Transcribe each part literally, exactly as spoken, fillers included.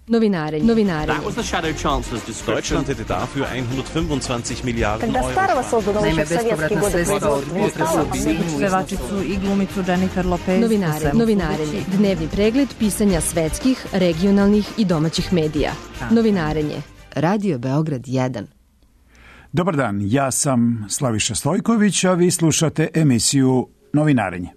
Novinarenje. Novinarenje. That was the Shadow Chancellor's description. Deutschland hätte dafür hundertfünfundzwanzig Miliarden Когда Euro. Старого создано Naime, еще в советские bespovratna годы sredstva od производства. pevačicu i glumicu Jennifer Lopez. Novinarenje. Novinarenje. Dnevni pregled pisanja svetskih, regionalnih i domaćih medija. Novinarenje. Radio Beograd jedan. Dobar dan, ja sam Slaviša Stojković, a vi slušate emisiju Novinarenje.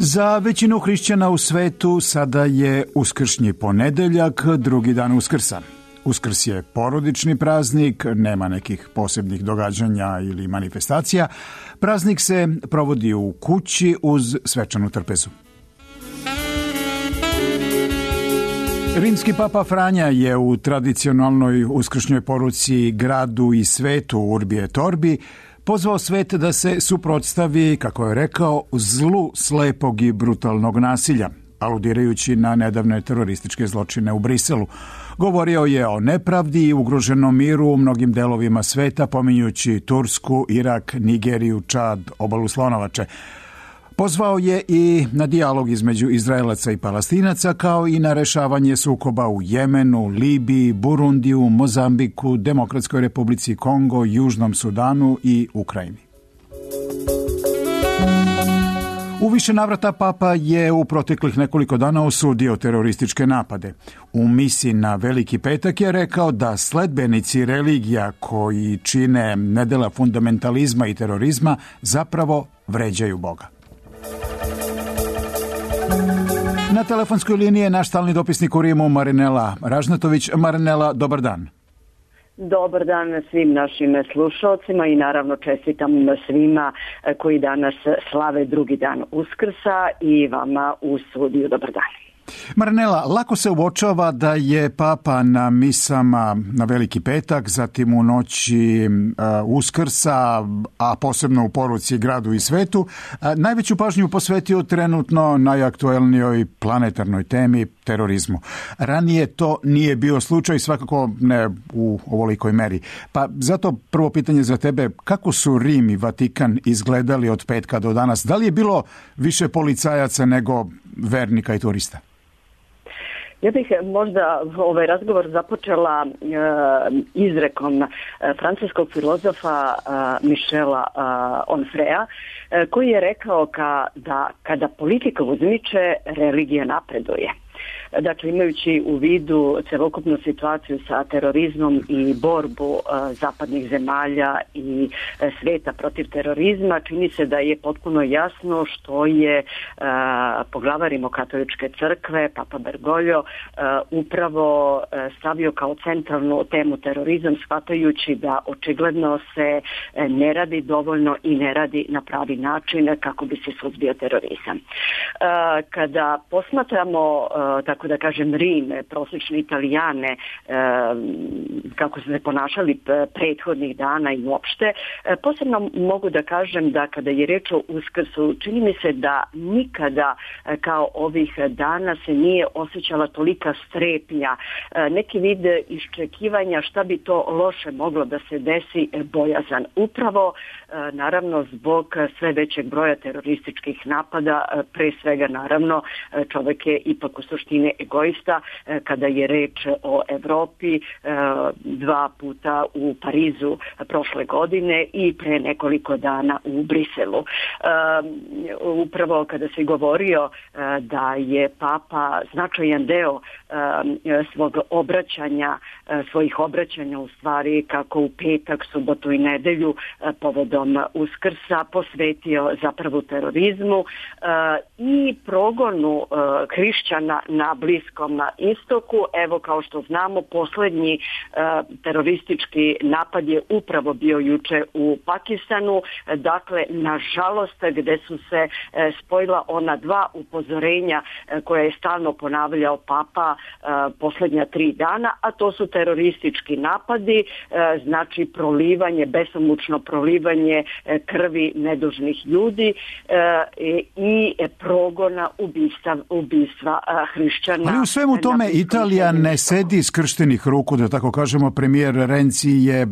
Za većinu hrišćana u svetu sada je uskršnji ponedeljak, drugi dan Uskrsa. Uskrs je porodični praznik, nema nekih posebnih događanja ili manifestacija. Praznik se provodi u kući uz svečanu trpezu. Rimski papa Franja je u tradicionalnoj uskršnjoj poruci gradu i svetu Urbi et Orbi pozvao svet da se suprotstavi, kako je rekao, zlu slepog i brutalnog nasilja, aludirajući na nedavne terorističke zločine u Briselu. Govorio je o nepravdi i ugroženom miru u mnogim delovima sveta, pominjući Tursku, Irak, Nigeriju, Čad, obalu Slonovače. Pozvao je i na dijalog između Izraelaca i Palestinaca, kao i na rešavanje sukoba u Jemenu, Libiji, Burundiju, Mozambiku, Demokratskoj Republici Kongo, Južnom Sudanu i Ukrajini. U više navrata papa je u proteklih nekoliko dana osudio terorističke napade. U misi na Veliki petak je rekao da sledbenici religija koji čine nedela fundamentalizma i terorizma zapravo vređaju Boga. Na telefonskoj liniji je naš stalni dopisnik u Rimu Marinela Ražnatović. Marinela, dobar dan. Dobar dan svim našim slušalcima i naravno čestitam svima koji danas slave drugi dan Uskrsa i vama u studiju. Dobar dan. Marinela, lako se uočava da je papa na misama na Veliki petak, zatim u noći uh, Uskrsa, a posebno u poruci gradu i svetu, uh, najveću pažnju posvetio trenutno najaktuelnijoj planetarnoj temi, terorizmu. Ranije to nije bio slučaj, svakako ne u ovolikoj meri. Pa zato prvo pitanje za tebe, kako su Rim i Vatikan izgledali od petka do danas? Da li je bilo više policajaca nego vernika i turista? Ja bih možda ovaj razgovor započela e, izrekom e, francuskog filozofa e, Michela e, Onfrea, e, koji je rekao ka, da kada politika uzmiče, religija napreduje. Dakle, imajući u vidu celokupnu situaciju sa terorizmom i borbu uh, zapadnih zemalja i uh, sveta protiv terorizma, čini se da je potpuno jasno što je uh, poglavar Rimokatoličke crkve, Papa Bergoglio, uh, upravo uh, stavio kao centralnu temu terorizam, shvatajući da očigledno se uh, ne radi dovoljno i ne radi na pravi način kako bi se suzbio terorizam. Uh, kada posmatramo uh, tako da kažem Rim, prosječne Italijane, kako su se ponašali prethodnih dana i uopšte. Posebno mogu da kažem da kada je reč o Uskrsu, čini mi se da nikada kao ovih dana se nije osjećala tolika strepnja, neki vid iščekivanja šta bi to loše moglo da se desi, bojazan. Upravo, naravno, zbog sve većeg broja terorističkih napada, pre svega, naravno, čovek je ipak u suštini egoista kada je reč o Evropi, dva puta u Parizu prošle godine i pre nekoliko dana u Briselu. Upravo kada se govorio da je papa značajan deo svog obraćanja, svojih obraćanja u stvari kako u petak, subotu i nedelju povodom Uskrsa posvetio zapravo terorizmu i progonu hrišćana na Bliskom istoku. Evo, kao što znamo, poslednji uh, teroristički napad je upravo bio juče u Pakistanu. Dakle, nažalost, gde su se uh, spojila ona dva upozorenja uh, koje je stalno ponavljao papa uh, poslednja tri dana, a to su teroristički napadi, uh, znači prolivanje, besomučno prolivanje uh, krvi nedužnih ljudi uh, i, i progona ubistva, ubistva uh, hrišćana. Ali u svemu tome Italija ne sedi skrštenih ruku, da tako kažemo. Premijer Renzi je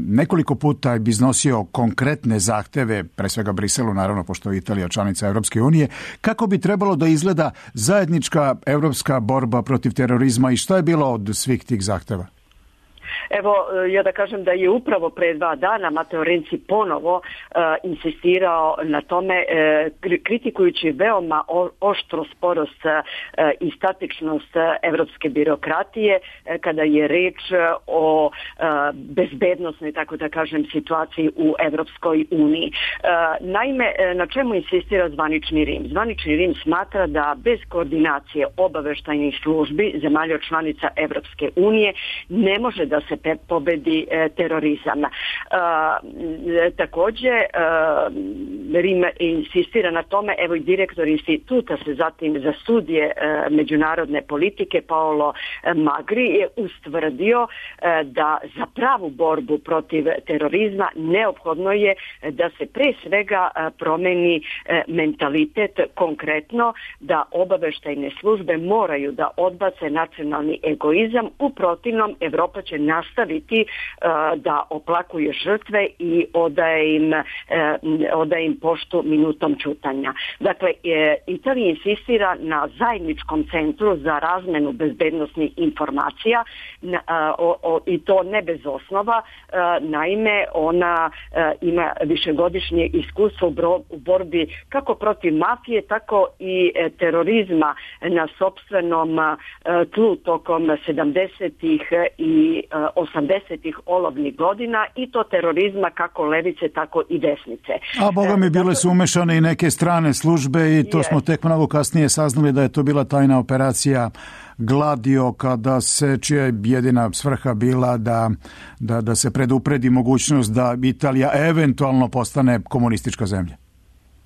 nekoliko puta iznosio konkretne zahteve, pre svega Briselu, naravno, pošto je Italija članica Evropske unije, kako bi trebalo da izgleda zajednička evropska borba protiv terorizma i šta je bilo od svih tih zahteva? Evo, ja da kažem da je upravo pre dva dana Matteo Renzi ponovo uh, insistirao na tome, uh, kritikujući veoma o, oštro sporost uh, i statičnost uh, evropske birokratije uh, kada je reč uh, o uh, bezbednosnoj, tako da kažem, situaciji u Evropskoj uniji. Uh, naime, uh, na čemu insistira zvanični Rim? Zvanični Rim smatra da bez koordinacije obaveštajnih službi zemalja članica Evropske unije ne može da se pobedi e, terorizam. E, takođe, e, Rim insistira na tome, evo i direktor instituta se zatim za studije e, međunarodne politike Paolo Magri je ustvrdio e, da za pravu borbu protiv terorizma neophodno je da se pre svega e, promeni e, mentalitet, konkretno da obaveštajne službe moraju da odbace nacionalni egoizam, u protivnom Evropa će nastaviti uh, da oplakuje žrtve i odaje im, uh, odaje im poštu minutom ćutanja. Dakle, e, Italija insistira na zajedničkom centru za razmenu bezbednosnih informacija na, uh, o, o, i to ne bez osnova. Uh, naime, ona uh, ima višegodišnje iskustvo u, bro, u borbi kako protiv mafije, tako i e, terorizma na sopstvenom uh, tlu tokom sedamdesetih i osamdesetih olovnih godina, i to terorizma kako levice, tako i desnice. A boga mi bile su umešane i neke strane službe i to je. Smo tek mnogo kasnije saznali da je to bila tajna operacija Gladio, kada se, čija je jedina svrha bila da, da, da se predupredi mogućnost da Italija eventualno postane komunistička zemlja.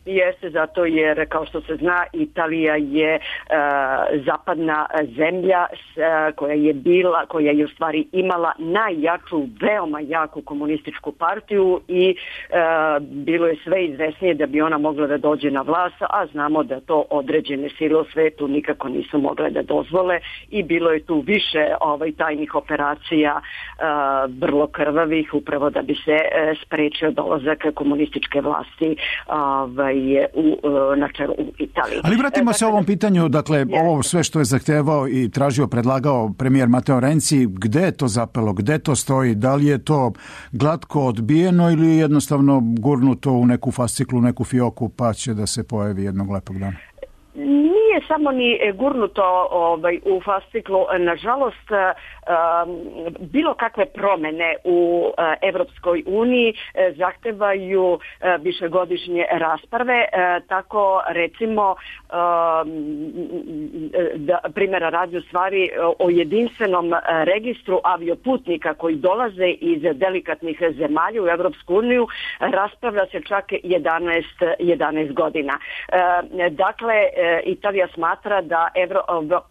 Jeste, zato jer, kao što se zna, Italija je uh, zapadna zemlja uh, koja je bila, koja je u stvari imala najjaču, veoma jaku komunističku partiju i uh, bilo je sve izvesnije da bi ona mogla da dođe na vlast, a znamo da to određene sile u svetu nikako nisu mogle da dozvole i bilo je tu više ovaj, tajnih operacija uh, vrlo krvavih, upravo da bi se uh, sprečio dolazak komunističke vlasti ovaj, je u, na čelu u Italiji. Ali vratimo e, se ovom pitanju, dakle, je. Ovo sve što je zahtevao i tražio, predlagao premijer Matteo Renzi, gde je to zapelo, gde to stoji, da li je to glatko odbijeno ili jednostavno gurnuto u neku fasciklu, neku fioku, pa će da se pojavi jednog lepog dana? Nije samo ni gurnuto ovaj, u fasciklu. Nažalost, um, bilo kakve promene u uh, Evropskoj uniji uh, zahtevaju uh, višegodišnje rasprave. Uh, tako, recimo, um, da, primjera radi u stvari o jedinstvenom uh, registru avioputnika koji dolaze iz delikatnih zemalja u Evropsku uniju, raspravlja se čak jedanaest, jedanaest godina. Uh, dakle, Italija smatra da Evro,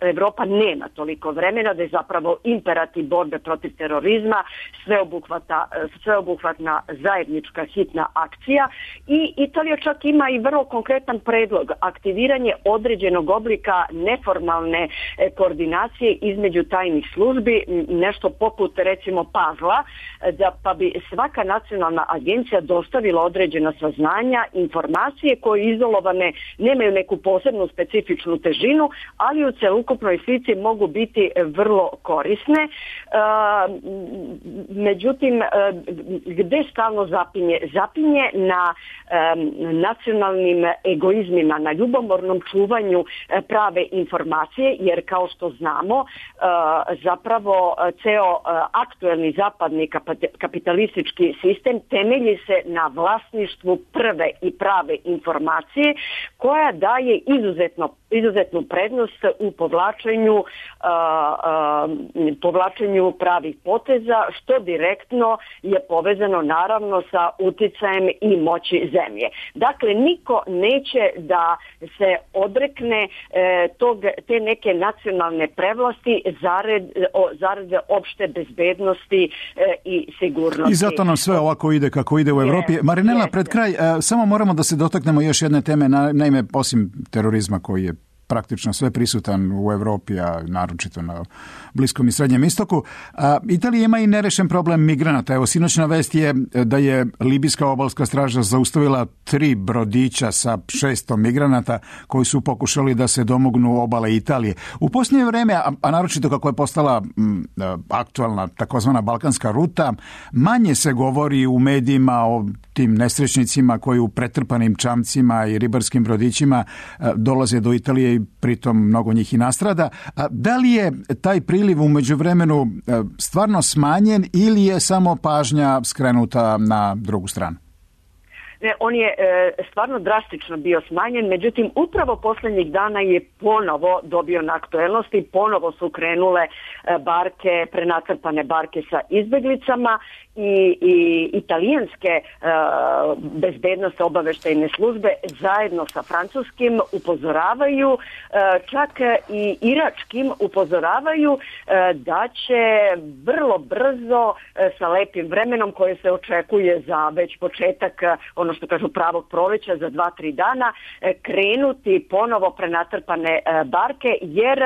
Evropa nema toliko vremena, da je zapravo imperativ borbe protiv terorizma sveobuhvata, sveobuhvatna zajednička hitna akcija i Italija čak ima i vrlo konkretan predlog, aktiviranje određenog oblika neformalne koordinacije između tajnih službi, nešto poput recimo pazla, da pa bi svaka nacionalna agencija dostavila određena saznanja, informacije koje izolovane nemaju neku posebnu specifičnu težinu, ali u celokupnoj slici mogu biti vrlo korisne. Međutim, gde stalno zapinje? Zapinje na nacionalnim egoizmima, na ljubomornom čuvanju prave informacije, jer kao što znamo, zapravo ceo aktuelni zapadni kapitalistički sistem temelji se na vlasništvu prve i prave informacije, koja daje izuzetno, izuzetnu prednost u povlačenju, uh, uh, povlačenju pravih poteza, što direktno je povezano naravno sa uticajem i moći zemlje. Dakle, niko neće da se odrekne eh, tog, te neke nacionalne prevlasti zarad, o, zarad opšte bezbednosti eh, i sigurnosti. I zato nam sve ovako ide kako ide u Evropi. Marinela, pred kraj, eh, samo moramo da se dotaknemo još jedne teme, na, naime, osim terorizma koji je praktično sve prisutan u Evropi, a naročito na Bliskom i Srednjem istoku. A, Italija ima i nerešen problem migranata. Evo, sinoćna vest je da je libijska obalska straža zaustavila tri brodića sa šestom migranata koji su pokušali da se domognu obale Italije. U posljednje vreme, a, a naročito kako je postala m, aktualna takozvana balkanska ruta, manje se govori u medijima o tim nesrećnicima koji u pretrpanim čamcima i ribarskim brodićima dolaze do Italije i pritom mnogo njih i nastrada. A da li je taj priliv u međuvremenu stvarno smanjen ili je samo pažnja skrenuta na drugu stranu? Ne, on je e, stvarno drastično bio smanjen, međutim upravo posljednjih dana je ponovo dobio na aktuelnosti, ponovo su krenule e, barke, prenatrpane barke sa izbjeglicama i, i italijanske e, bezbednosne obaveštajne službe zajedno sa francuskim upozoravaju, e, čak i iračkim upozoravaju e, da će vrlo brzo e, sa lepim vremenom koje se očekuje za već početak ono što kažu pravog proleća za dva, tri dana, krenuti ponovo prenatrpane barke, jer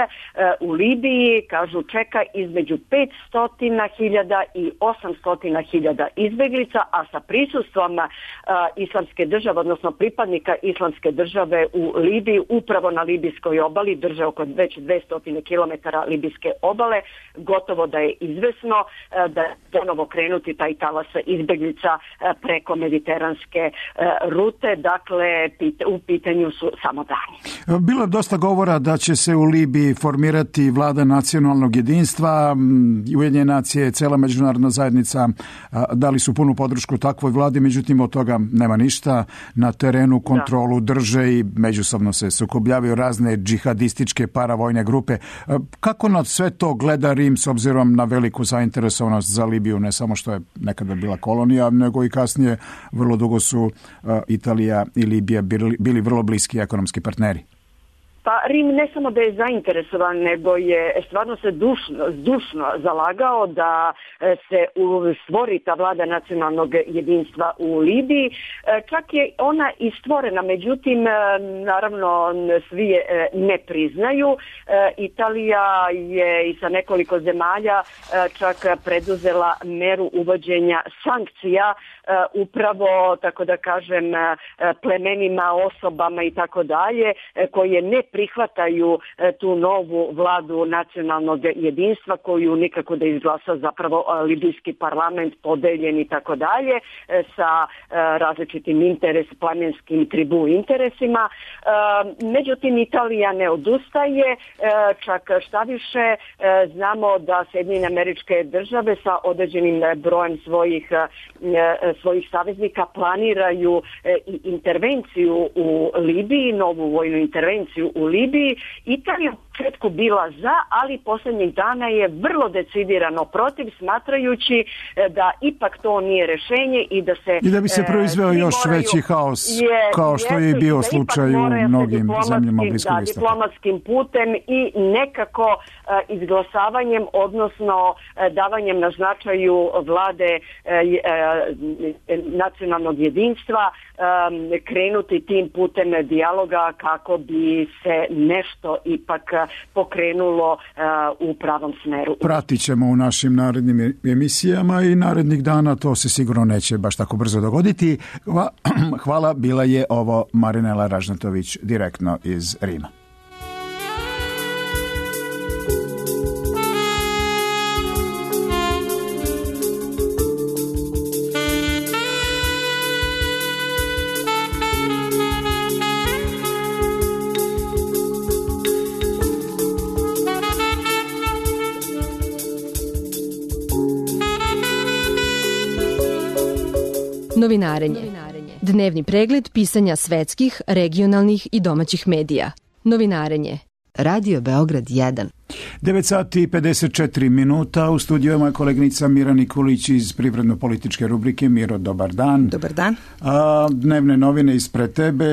u Libiji, kažu, čeka između petsto hiljada i osamsto hiljada izbeglica, a sa prisustvom islamske države, odnosno pripadnika islamske države u Libiji, upravo na libijskoj obali, drže oko već dvesta kilometara libijske obale, gotovo da je izvesno da ponovo krenuti taj talas izbeglica preko mediteranske rute, dakle u pitanju su samo dani. Bilo je dosta govora da će se u Libiji formirati vlada nacionalnog jedinstva. Ujedinjene nacije, cela međunarodna zajednica dali su punu podršku takvoj vladi, međutim od toga nema ništa. Na terenu kontrolu da. drže i međusobno se sukobljavaju razne džihadističke paravojne grupe. Kako na sve to gleda Rim s obzirom na veliku zainteresovanost za Libiju, ne samo što je nekada bila kolonija, nego i kasnije vrlo dugo su Italija i Libija bili, bili vrlo bliski ekonomski partneri? Pa Rim ne samo da je zainteresovan, nego je stvarno se dušno, dušno zalagao da se stvori ta vlada nacionalnog jedinstva u Libiji. Čak je ona i stvorena, međutim, naravno, svi je ne priznaju. Italija je i sa nekoliko zemalja čak preduzela meru uvođenja sankcija upravo, tako da kažem, plemenima, osobama i tako dalje, koje ne prihvataju tu novu vladu nacionalnog jedinstva koju nikako da izglasa zapravo libijski parlament podeljen i tako dalje sa različitim interes, plemenskim tribu interesima. Međutim, Italija ne odustaje, čak šta više, znamo da Sjedinjene Američke Države sa određenim brojem svojih svojih saveznika planiraju i intervenciju u Libiji, novu vojnu intervenciju u Libiji. Italija u početku bila za, ali posljednjih dana je vrlo decidirano protiv, smatrajući da ipak to nije rješenje i da se i da bi se proizveo još moraju, veći haos, je, kao što je bio slučaj u mnogim zemljama Bliskog istoka. Diplomatskim putem i nekako uh, izglasavanjem, odnosno uh, davanjem na značaju vlade uh, nacionalnog jedinstva, um, krenuti tim putem dijaloga kako bi se nešto ipak pokrenulo uh, u pravom smeru. Pratit ćemo u našim narednim emisijama i narednih dana, to se sigurno neće baš tako brzo dogoditi. Hvala, bila je ovo Marinela Ražnatović direktno iz Rima. Novinarenje. Dnevni pregled pisanja svetskih, regionalnih i domaćih medija. Novinarenje. Radio Beograd jedan. devet sati i pedeset četiri minuta. U studiju je moja koleginica Mira Nikolić iz privredno-političke rubrike. Miro, dobar dan. Dobar dan. A, dnevne novine ispred tebe.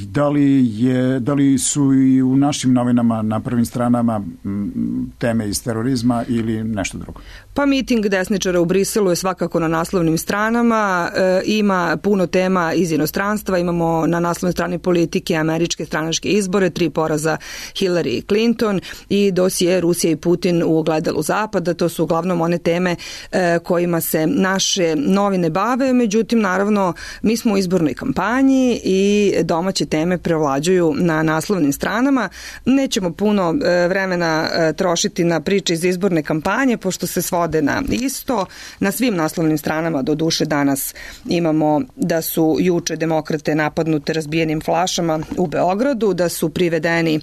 Da li, je, da li su i u našim novinama na prvim stranama m, teme iz terorizma ili nešto drugo? Pa miting desničara u Briselu je svakako na naslovnim stranama. E, ima puno tema iz inostranstva. Imamo na naslovnoj strani politike američke stranačke izbore, tri poraza Hillary Clinton i dosije Rusija i Putin u ogledalu Zapada. To su uglavnom one teme e, kojima se naše novine bave. Međutim, naravno, mi smo u izbornoj kampanji i domaće teme prevlađuju na naslovnim stranama. Nećemo puno e, vremena e, trošiti na priče iz izborne kampanje, pošto se svode na isto. Na svim naslovnim stranama do duše danas imamo da su juče demokrate napadnute razbijenim flašama u Beogradu, da su privedeni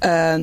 e,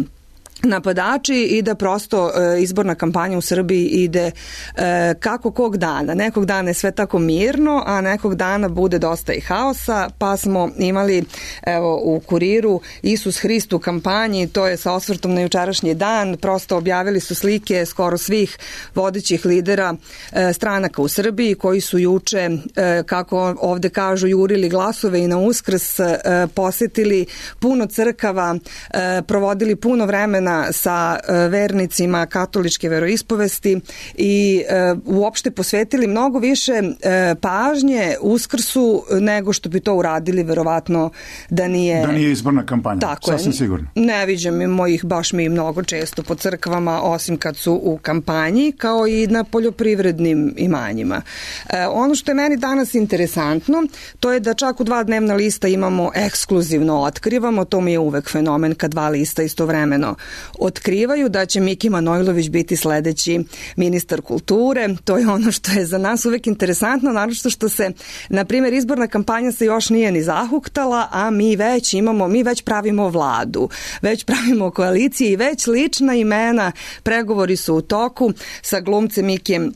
napadači i da prosto e, izborna kampanja u Srbiji ide e, kako kog dana. Nekog dana je sve tako mirno, a nekog dana bude dosta i haosa, pa smo imali evo u Kuriru Isus Hrist u kampanji, to je sa osvrtom na jučerašnji dan, prosto objavili su slike skoro svih vodećih lidera e, stranaka u Srbiji koji su juče, e, kako ovde kažu, jurili glasove i na Uskrs, e, posetili puno crkava, e, provodili puno vremena sa vernicima katoličke veroispovesti i e, uopšte posvetili mnogo više e, pažnje Uskrsu nego što bi to uradili verovatno da nije... Da nije izborna kampanja, tako sasvim je, sigurno. Ne viđam mojih baš mi mnogo često po crkvama, osim kad su u kampanji, kao i na poljoprivrednim imanjima. E, ono što je meni danas interesantno, to je da čak u dva dnevna lista imamo ekskluzivno otkrivamo, to mi je uvek fenomen kad dva lista istovremeno otkrivaju da će Miki Manojlović biti sledeći ministar kulture. To je ono što je za nas uvek interesantno, naročito što se, na primjer, izborna kampanja se još nije ni zahuktala, a mi već imamo, mi već pravimo vladu, već pravimo koalicije i već lična imena, pregovori su u toku sa glumcem Mikijem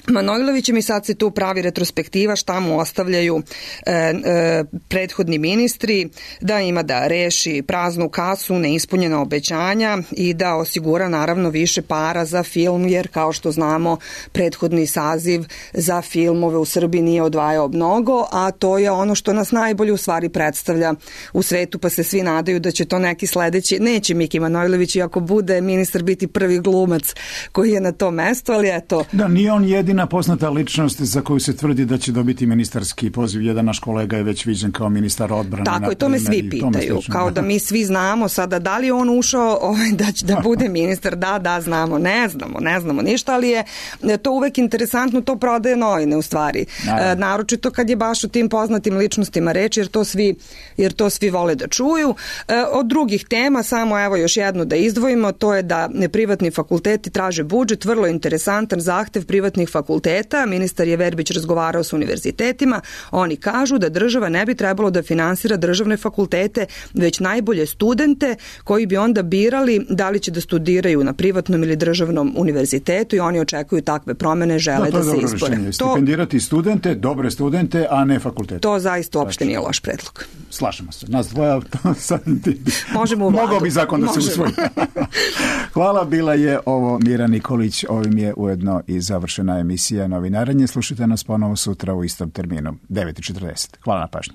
Manojlovićem i sad se tu pravi retrospektiva šta mu ostavljaju e, e, prethodni ministri, da ima da reši praznu kasu, neispunjena obećanja i da osigura naravno više para za film, jer kao što znamo prethodni saziv za filmove u Srbiji nije odvajao mnogo, a to je ono što nas najbolje u stvari predstavlja u svetu, pa se svi nadaju da će to neki sledeći, neće Miki Manojlović, i ako bude ministar biti prvi glumac koji je na to mesto, ali eto. Da, nije on jedin poznata ličnost za koju se tvrdi da će dobiti ministarski poziv. Jedan naš kolega je već viđen kao ministar odbrane. Tako je, to me svi pitaju. Kao da mi svi znamo sada da li on ušao ovaj, da će da bude ministar. Da, da, znamo. Ne znamo, ne znamo ništa, ali je to uvek interesantno, to prodaje novine u stvari. E, naročito kad je baš o tim poznatim ličnostima reč, jer to svi, jer to svi vole da čuju. E, od drugih tema, samo evo još jedno da izdvojimo, to je da privatni fakulteti traže budžet, vrlo interesantan zahtev privatnih fakulteta. Ministar je Verbić razgovarao s univerzitetima, oni kažu da država ne bi trebalo da finansira državne fakultete, već najbolje studente koji bi onda birali da li će da studiraju na privatnom ili državnom univerzitetu i oni očekuju takve promene, žele da, da se izbore. To, stipendirati studente, dobre studente, a ne fakultete. To zaista uopšte nije loš predlog. Slažemo se. Nas dvoja sad ti... Možemo u vladu. Mogao bi zakon da Možemo. se usvoji. Hvala, bila je ovo Mira Nikolić, ovim je ujedno i završena emisija Novinarenje. Slušajte nas ponovo sutra u istom terminu, devet i četrdeset. Hvala na pažnji.